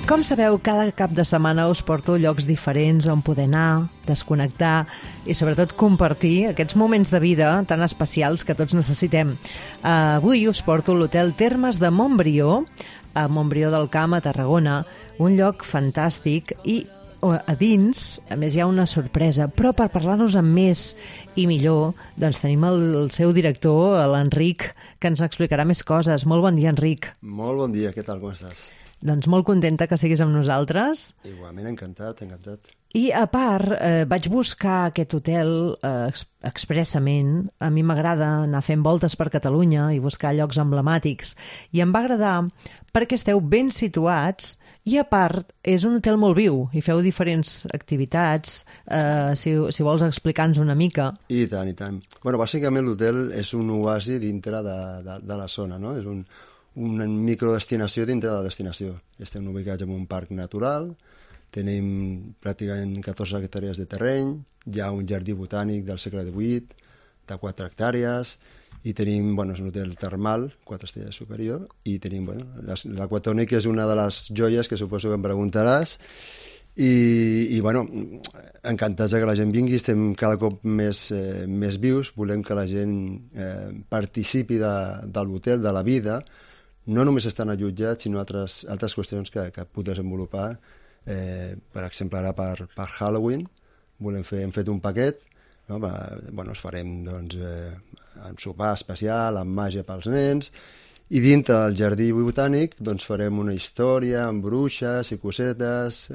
Com sabeu, cada cap de setmana us porto llocs diferents on poder anar, desconnectar i sobretot compartir aquests moments de vida tan especials que tots necessitem. Uh, avui us porto l'hotel Termes de Montbrió, a Montbrió del Camp, a Tarragona, un lloc fantàstic i a dins, a més, hi ha una sorpresa, però per parlar-nos amb més i millor, doncs tenim el, el seu director, l'Enric, que ens explicarà més coses. Molt bon dia, Enric. Molt bon dia, què tal, com estàs? Doncs molt contenta que siguis amb nosaltres. Igualment, encantat, encantat. I, a part, eh, vaig buscar aquest hotel eh, expressament. A mi m'agrada anar fent voltes per Catalunya i buscar llocs emblemàtics. I em va agradar perquè esteu ben situats i, a part, és un hotel molt viu i feu diferents activitats. Eh, si, si vols explicar-nos una mica. I tant, i tant. Bueno, bàsicament l'hotel és un oasi dintre de, de, de la zona, no? És un, una microdestinació dintre de la destinació. Estem ubicats en un parc natural, tenim pràcticament catorze hectàrees de terreny, hi ha un jardí botànic del segle divuit, de quatre hectàrees, i tenim, bueno, és un hotel termal, quatre estrelles superior, i tenim, bueno, l'Aquatònic és una de les joies que suposo que em preguntaràs, i, i bueno, encantats que la gent vingui, estem cada cop més, eh, més vius, volem que la gent eh, participi de, de l'hotel, de la vida, no només estan allotjats, sinó altres, altres qüestions que, que puc desenvolupar. Eh, per exemple, ara per, per Halloween volem fer, hem fet un paquet, no? Va, bueno, es farem doncs, eh, un sopar especial amb màgia pels nens, i dintre del jardí botànic doncs, farem una història amb bruixes i cosetes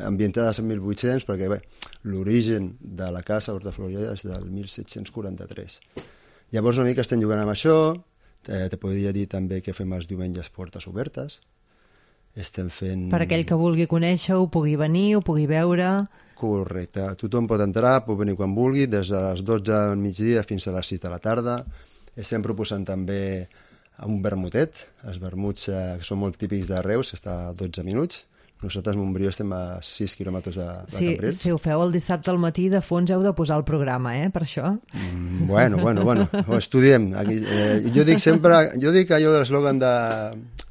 ambientades en mil vuit-cents, perquè bé, l'origen de la casa Horta Florida és del mil set-cents quaranta-tres. Llavors una mica estem jugant amb això. eh, te podria dir també que fem els diumenges portes obertes. Estem fent... Per aquell que vulgui conèixer-ho, pugui venir, ho pugui veure... Correcte. Tothom pot entrar, pot venir quan vulgui, des de les dotze del migdia fins a les sis de la tarda. Estem proposant també un vermutet. Els vermuts eh, que són molt típics de Reus, està a dotze minuts. Nosaltres, a Montbrió, estem a sis quilòmetres de, de sí, Cambrils. Si ho feu el dissabte al matí, de fons heu de posar el programa, eh, per això. Mm, bueno, bueno, bueno, ho estudiem. Aquí, eh, jo dic sempre, jo dic allò de l'eslògan de,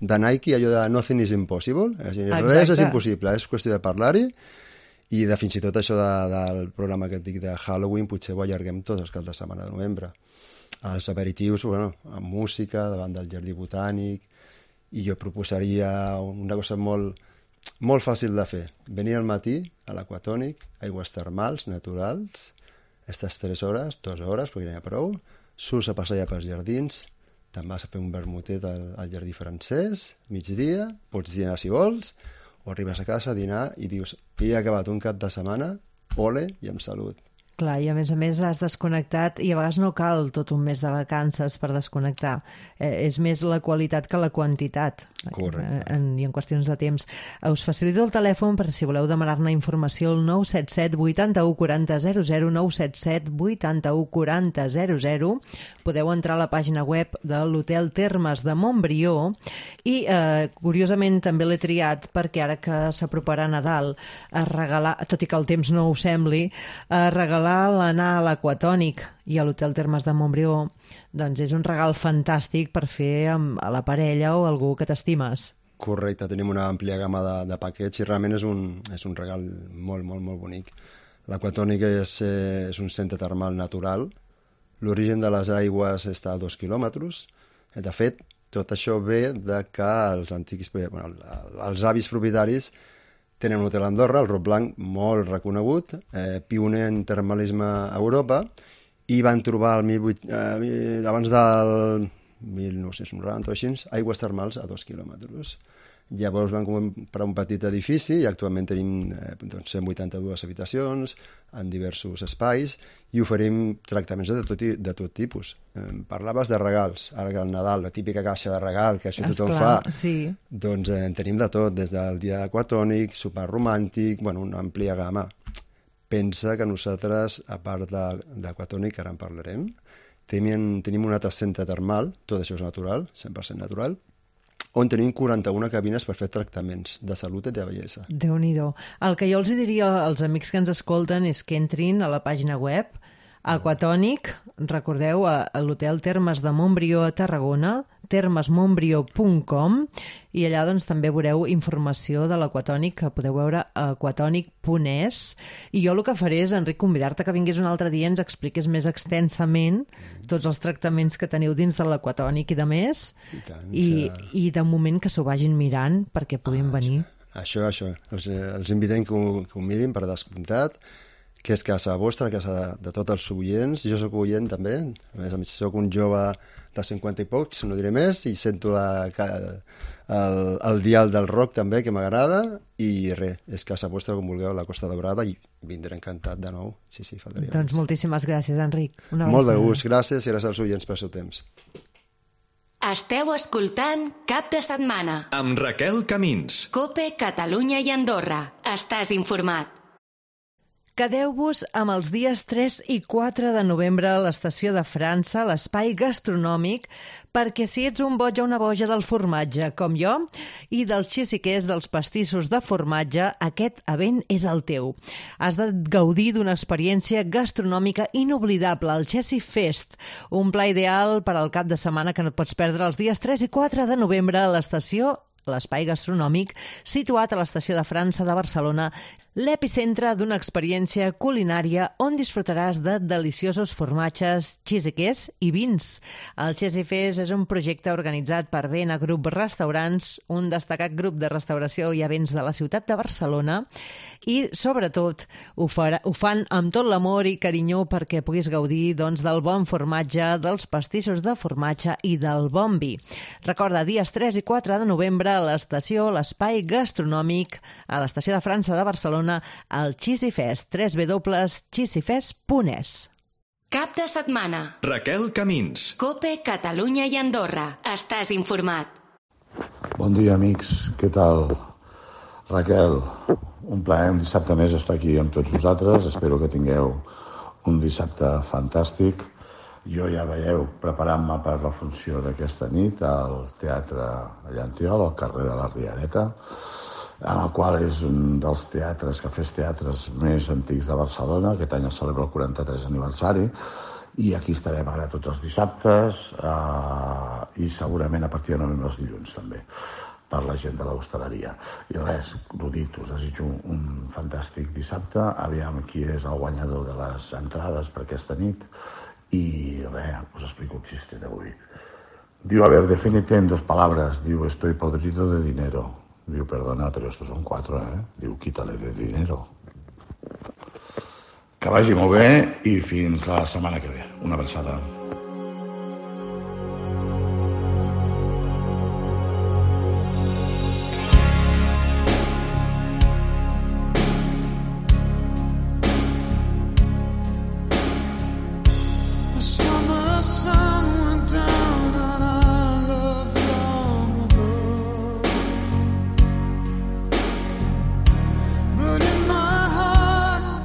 de Nike, allò de nothing is impossible. És dir, res és impossible, és qüestió de parlar-hi, i de fins i tot això de, del programa que et dic de Halloween, potser ho allarguem tots els caps de setmana de novembre. Els aperitius, bueno, amb música, davant del jardí botànic, i jo proposaria una cosa molt... molt fàcil de fer. Venir al matí a l'Aquatònic, aigües termals, naturals, aquestes tres hores, dues hores, perquè n'hi ha prou, surts a passejar pels jardins, te'n vas a fer un vermutet al, al jardí francès, migdia, pots dinar si vols, o arribes a casa a dinar i dius, he acabat un cap de setmana, ole i amb salut. Clar, i a més a més has desconnectat i a vegades no cal tot un mes de vacances per desconnectar. Eh, és més la qualitat que la quantitat. Correcte. En, I en qüestions de temps. Us facilito el telèfon per si voleu demanar-ne informació al nou set set vuitanta-u quaranta zero zero, nou set set vuitanta-u quaranta zero zero. Podeu entrar a la pàgina web de l'Hotel Termes de Montbrió i, eh, curiosament, també l'he triat perquè ara que s'aproparà Nadal, a regalar, tot i que el temps no ho sembli, a regalar l'anar a l'Aquatònic i a l'Hotel Termes de Montbrió, doncs és un regal fantàstic per fer amb a la parella o algú que t'estimes. Correcte, tenim una àmplia gamma de, de paquets i realment és un, és un regal molt, molt, molt bonic. L'Aquatònic és, eh, és un centre termal natural. L'origen de les aigües està a dos quilòmetres. De fet, tot això ve de que els antics, bueno, els avis propietaris tenen un hotel a Andorra, el Rot Blanc, molt reconegut, eh, pioner en termalisme a Europa, i van trobar el mil vuit, eh, abans del mil nou-cents noranta o així, aigües termals a dos quilòmetres. Llavors van comprar un petit edifici i actualment tenim eh, doncs, cent vuitanta-dues habitacions en diversos espais i oferim tractaments de tot, de tot tipus. Eh, parlaves de regals, ara que el Nadal, la típica caixa de regal que això tothom fa, sí. Doncs eh, en tenim de tot, des del dia aquatònic, sopar romàntic, bueno, una àmplia gamma. Pensa que nosaltres, a part d'aquatònic, ara en parlarem, tenim, tenim un altre centre termal, tot això és natural, cent per cent natural, on tenim quaranta-una cabines per fer tractaments de salut i de bellesa. Déu-n'hi-do. El que jo els diria als amics que ens escolten és que entrin a la pàgina web Aquatònic, recordeu, a, a l'Hotel Termes de Montbrió a Tarragona, termes montbrió punt com, i allà doncs, també veureu informació de l'Aquatònic, que podeu veure a aquatònic punt es, i jo el que faré és, Enric, convidar-te que vinguis un altre dia i ens expliquis més extensament tots els tractaments que teniu dins de l'Aquatònic i de més, I, tant, i, ja... i de moment que s'ho vagin mirant perquè puguin ah, venir. Això, això. Els, els invitem que ho, que ho mirin per descomptat, que és casa vostra, casa de, de tots els oients. Jo sóc oient també, a més a més sóc un jove de cinquanta i pocs, no diré més, i sento la, el, el dial del rock també, que m'agrada, i res, és casa vostra com vulgueu, la Costa Daurada, i vindré encantat de nou. Sí, sí, faltaria doncs més. Moltíssimes gràcies, Enric. Una Molt de gust, gràcies, i gràcies als oients pel seu temps. Esteu escoltant Cap de Setmana. Amb Raquel Camins. COPE, Catalunya i Andorra. Estàs informat. Quedeu-vos amb els dies tres i quatre de novembre a l'Estació de França, l'espai gastronòmic, perquè si ets un boig o una boja del formatge, com jo, i dels xissiquers, dels pastissos de formatge, aquest event és el teu. Has de gaudir d'una experiència gastronòmica inoblidable, el Chessy Fest, un pla ideal per al cap de setmana que no et pots perdre els dies tres i quatre de novembre a l'estació l'espai gastronòmic situat a l'Estació de França de Barcelona, l'epicentre d'una experiència culinària on disfrutaràs de deliciosos formatges, xissiquers i vins. El Chessy Fest és un projecte organitzat per Vena Group Restaurants, un destacat grup de restauració i events de la ciutat de Barcelona, i sobretot ho, farà, ho fan amb tot l'amor i carinyo perquè puguis gaudir doncs, del bon formatge, dels pastissos de formatge i del bon vi. Recorda, dies tres i quatre de novembre a l'estació, l'espai gastronòmic, a l'Estació de França de Barcelona, al Chessy Fest, w w w punt chessy fest punt e s. Cap de setmana. Raquel Camins. COPE, Catalunya i Andorra. Estàs informat. Bon dia, amics. Què tal? Raquel, un plaer un dissabte més estar aquí amb tots vosaltres. Espero que tingueu un dissabte fantàstic. Jo ja veieu preparant-me per la funció d'aquesta nit al Teatre Llantiol, al carrer de la Riereta, en el qual és un dels teatres, cafès teatres més antics de Barcelona. Aquest any es celebra el quaranta-tres aniversari, i aquí estarem ara tots els dissabtes eh, i segurament a partir de novembre els dilluns també, per la gent de l'hostaleria. I res, l'ho dit, us desitjo un, un fantàstic dissabte. Aviam qui és el guanyador de les entrades per aquesta nit. Y res, os explico un chiste de hoy. Digo, a ver, defínete en dos palabras. Digo, estoy podrido de dinero. Digo, perdona, pero estos son cuatro, ¿eh? Digo, quítale de dinero. Que vagi molt bé i fins la setmana que ve. Una abraçada.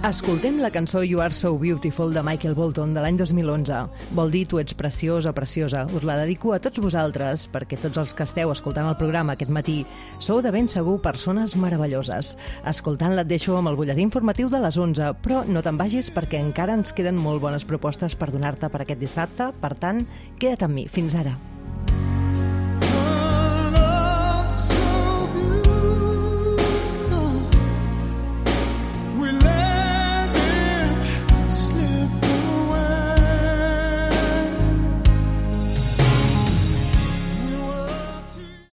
Escoltem la cançó You Are So Beautiful de Michael Bolton de l'any dos mil onze. Vol dir tu ets preciós o preciosa. Us la dedico a tots vosaltres perquè tots els que esteu escoltant el programa aquest matí sou de ben segur persones meravelloses. Escoltant-la et deixo amb el butlletí informatiu de les onze, però no te'n vagis perquè encara ens queden molt bones propostes per donar-te per aquest dissabte. Per tant, queda't amb mi. Fins ara.